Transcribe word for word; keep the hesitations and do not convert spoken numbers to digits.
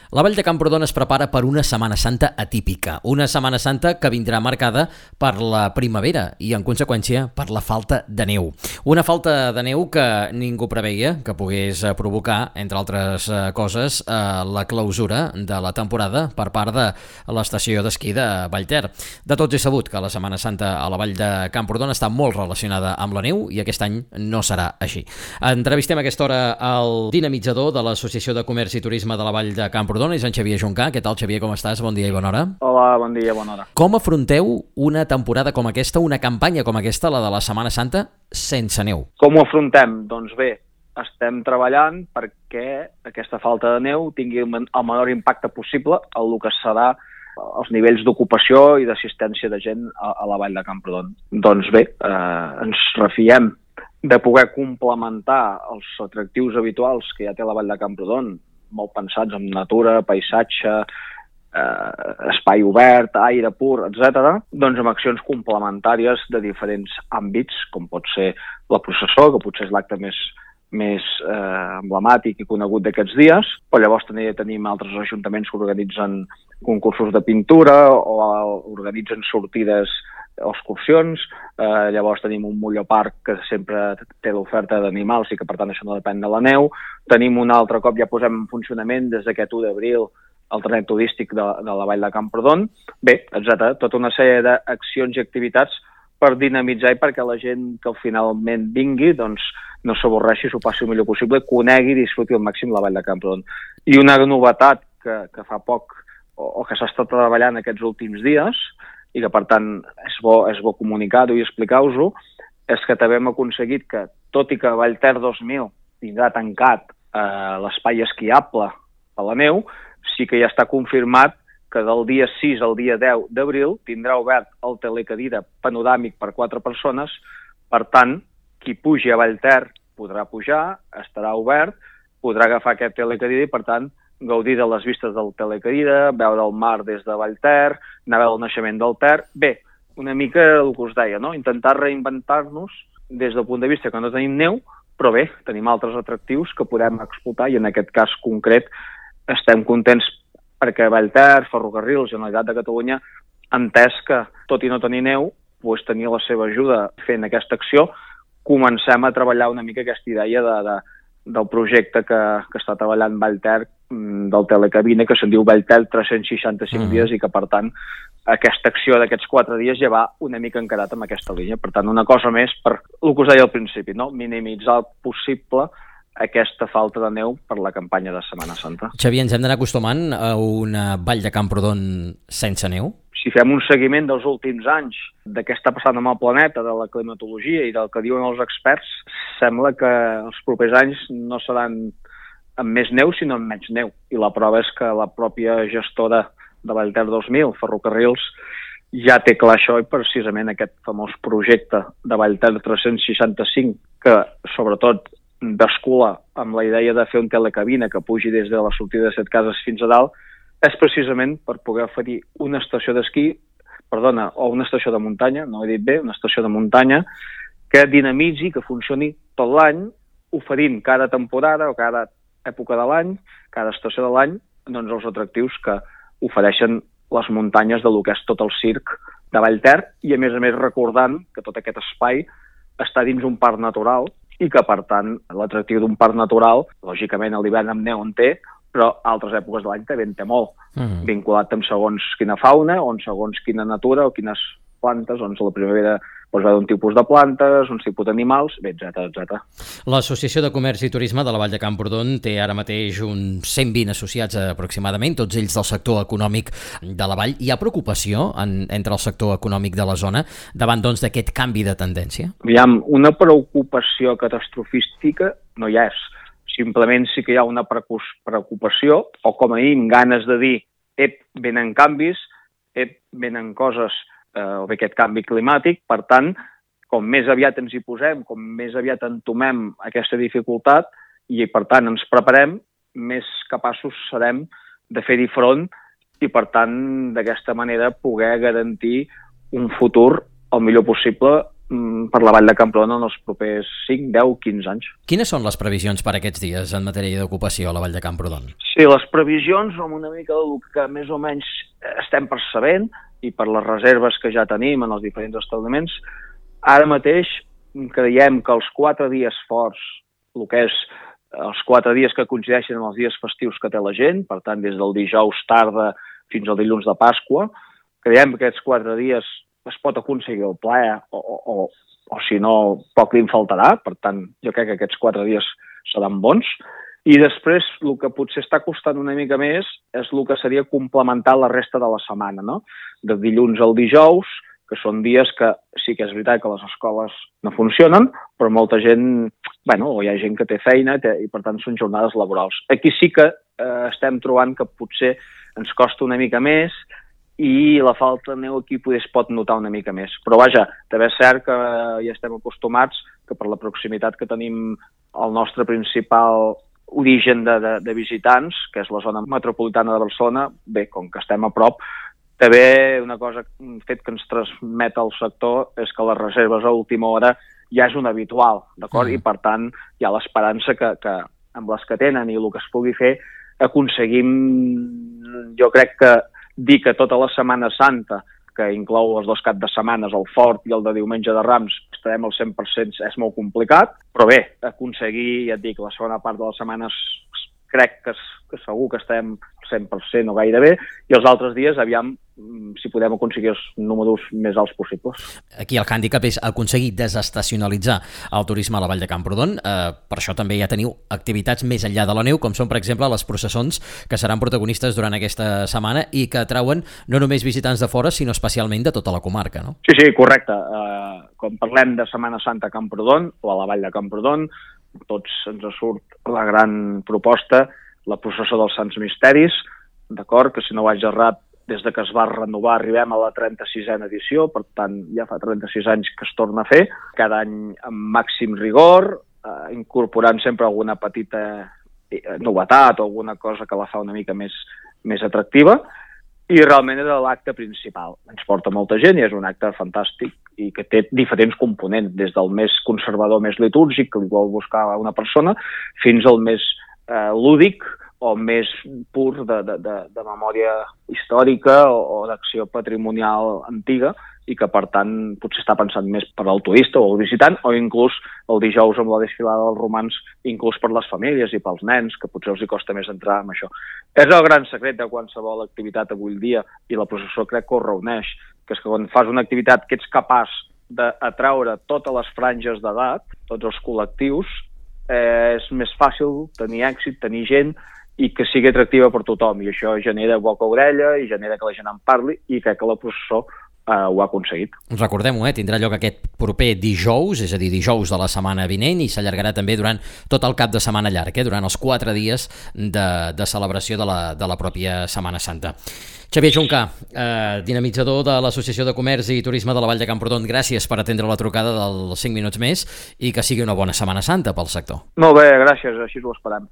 La Vall de Camprodon es prepara per una Setmana Santa atípica, una Setmana Santa que vindrà marcada per la primavera i, en conseqüència, per la falta de neu. Una falta de neu que ningú preveia que pogués provocar, entre altres coses, la clausura de la temporada per part de l'estació d'esquí de Vallter. De tots és sabut que la Setmana Santa a la Vall de Camprodon està molt relacionada amb la neu i aquest any no serà així. Entrevistem a aquesta hora el dinamitzador de l'Associació de Comerç i Turisme de la Vall de Camprodon, és en Xavier Juncà. Què tal, Xavier, com estàs? Bon dia i bona hora. Hola, bon dia, bona hora. Com afronteu una temporada com aquesta, una campanya com aquesta, la de la Setmana Santa, sense neu? Com ho afrontem? Doncs bé, estem treballant perquè aquesta falta de neu tingui el menor impacte possible en el que serà els nivells d'ocupació i d'assistència de gent a, a la Vall de Camprodon. Doncs bé, eh, ens refiem de poder complementar els atractius habituals que ja té la Vall de Camprodon, molt pensats en natura, paisatge, eh, espai obert, aire pur, etcètera, doncs amb accions complementàries de diferents àmbits, com pot ser la processó, que potser és l'acte més, més eh, emblemàtic i conegut d'aquests dies, però llavors també tenim altres ajuntaments que organitzen concursos de pintura o organitzen sortides o excursions, eh, llavors tenim un Molloparc que sempre té l'oferta d'animals i que per tant això no depèn de la neu, tenim un altre cop, ja posem en funcionament des d'aquest u d'abril el tren turístic de, de la Vall de Camprodon, bé, etcètera, tota una sèrie d'accions i activitats per dinamitzar i perquè la gent que finalment vingui doncs no s'avorreixi, s'ho passi el millor possible, conegui i disfruti al màxim la Vall de Camprodon. I una novetat que, que fa poc o, o que s'ha estat treballant aquests últims dies i que, per tant, és bo, és bo comunicar-ho i explicar-vos-ho, és que també hem aconseguit que, tot i que Vallter dos mil tindrà tancat eh, l'espai esquiable a la neu, sí que ja està confirmat que del dia sis al dia deu d'abril tindrà obert el telecadira panoràmic per quatre persones, per tant, qui pugi a Vallter podrà pujar, estarà obert, podrà agafar aquest telecadira i, per tant, gaudir de les vistes del telecadira, veure el mar des de Vallter, anar a veure el naixement del Ter. Bé, una mica el que us deia, no? Intentar reinventar-nos des del punt de vista que no tenim neu, però bé, tenim altres atractius que podem explotar i en aquest cas concret estem contents perquè Vallter, Ferrocarrils, Generalitat de Catalunya, entès que, tot i no tenir neu, doncs tenir la seva ajuda fent aquesta acció, comencem a treballar una mica aquesta idea de, de, del projecte que, que està treballant Vallter, del telecabina, que se'n diu Vallter tres-cents seixanta-cinc mm. dies i que, per tant, aquesta acció d'aquests quatre dies ja va una mica encarat amb aquesta línia. Per tant, una cosa més per el que us deia al principi, no? Minimitzar el possible aquesta falta de neu per la campanya de Setmana Santa. Xavier, ens hem d'anar acostumant a una Vall de Camprodon sense neu? Si fem un seguiment dels últims anys de què està passant amb el planeta, de la climatologia i del que diuen els experts, sembla que els propers anys no seran amb més neu, sinó amb menys neu. I la prova és que la pròpia gestora de Vallter dos mil, Ferrocarrils, ja té clar això i precisament aquest famós projecte de Vallter tres-cents seixanta-cinc, que sobretot bascula amb la idea de fer un telecabina que pugi des de la sortida de Setcases fins a dalt, és precisament per poder oferir una estació d'esquí, perdona, o una estació de muntanya, no ho he dit bé, una estació de muntanya, que dinamitzi, que funcioni tot l'any, oferint cada temporada o cada època de l'any, cada estació de l'any, doncs els atractius que ofereixen les muntanyes de lo que és tot el circ de Vallter i, a més a més, recordant que tot aquest espai està dins un parc natural i que, per tant, l'atractiu d'un parc natural, lògicament, a l'hivern amb neu en té, però altres èpoques de l'any també en té molt, mm. vinculat amb segons quina fauna, on segons quina natura o quines plantes, doncs a la primavera doncs va d'un tipus de plantes, uns tipus d'animals, bé, etcètera, etcètera. L'Associació de Comerç i Turisme de la Vall de Camprodon té ara mateix uns cent vint associats aproximadament, tots ells del sector econòmic de la vall. Hi ha preocupació en, entre el sector econòmic de la zona davant doncs d'aquest canvi de tendència? Aviam, una preocupació catastrofística no hi és. Simplement sí que hi ha una preocupació, o com a mínim ganes de dir, ep, venen canvis, ep, venen coses o bé aquest canvi climàtic, per tant, com més aviat ens hi posem, com més aviat entomem aquesta dificultat i, per tant, ens preparem, més capaços serem de fer-hi front i, per tant, d'aquesta manera poder garantir un futur el millor possible per la Vall de Camprodon en els propers cinc, deu, quinze anys. Quines són les previsions per aquests dies en matèria d'ocupació a la Vall de Camprodon? Sí, les previsions amb una mica del que més o menys estem percebent i per les reserves que ja tenim en els diferents establiments, ara mateix creiem que els quatre dies forts, el que és els quatre dies que coincideixen amb els dies festius que té la gent, per tant, des del dijous tarda fins al dilluns de Pasqua, creiem que aquests quatre dies es pot aconseguir el ple o, o, o, o si no, poc li en faltarà. Per tant, jo crec que aquests quatre dies seran bons. I després, el que potser està costant una mica més és el que seria complementar la resta de la setmana, no? De dilluns al dijous, que són dies que sí que és veritat que les escoles no funcionen, però molta gent, bueno, o hi ha gent que té feina i per tant són jornades laborals. Aquí sí que eh, estem trobant que potser ens costa una mica més i la falta de neu aquí potser es pot notar una mica més. Però vaja, també és cert que ja estem acostumats que per la proximitat que tenim al nostre principal origen de, de, de visitants, que és la zona metropolitana de Barcelona, bé, com que estem a prop, també una cosa, un fet que ens transmet el sector és que les reserves a última hora ja és un habitual, d'acord? Mm. I per tant hi ha l'esperança que, que amb les que tenen i el que es pugui fer aconseguim, jo crec que dir que tota la Setmana Santa, que inclou els dos caps de setmanes, el Fort i el de Diumenge de Rams, estarem al cent per cent, és molt complicat, però bé, aconseguir, ja et dic, la segona part de les setmanes crec que, que segur que estem al cent per cent o gairebé, i els altres dies, aviam si podem aconseguir els números més alts possibles. Aquí el hàndicap és aconseguir desestacionalitzar el turisme a la Vall de Camprodon. Eh, per això també ja teniu activitats més enllà de la neu, com són, per exemple, les processons que seran protagonistes durant aquesta setmana i que atrauen no només visitants de fora, sinó especialment de tota la comarca, no? Sí, sí, correcte. Eh, quan parlem de Setmana Santa a Camprodon o a la Vall de Camprodon, tots ens surt la gran proposta, la processó dels Sants Misteris, d'acord, que si no vaig errat, des de que es va renovar arribem a la trenta-sisena edició, per tant ja fa trenta-sis anys que es torna a fer, cada any amb màxim rigor, eh, incorporant sempre alguna petita novetat o alguna cosa que la fa una mica més, més atractiva, i realment era l'acte principal. Ens porta molta gent i és un acte fantàstic i que té diferents components, des del més conservador, més litúrgic, que li vol buscar una persona, fins al més eh, lúdic, o més pur de, de, de, de memòria històrica o, o d'acció patrimonial antiga i que, per tant, potser està pensant més per al turista o al visitant o inclús el dijous amb la desfilada dels romans inclús per les famílies i pels nens, que potser els hi costa més entrar en això. És el gran secret de qualsevol activitat avui dia i la processó crec que ho reuneix, que és que quan fas una activitat que ets capaç d'atraure totes les franges d'edat, tots els col·lectius, eh, és més fàcil tenir èxit, tenir gent i que sigui atractiva per tothom, i això genera boca a orella i genera que la gent en parli i crec que la processó eh, ho ha aconseguit. Recordem-ho, eh? Tindrà lloc aquest proper dijous, és a dir, dijous de la setmana vinent, i s'allargarà també durant tot el cap de setmana llarg, eh? Durant els quatre dies de, de celebració de la, de la pròpia Setmana Santa. Xavier Juncà, eh, dinamitzador de l'Associació de Comerç i Turisme de la Vall de Camprodon, gràcies per atendre la trucada dels cinc minuts més i que sigui una bona Setmana Santa pel sector. Molt bé, gràcies, així ho esperem.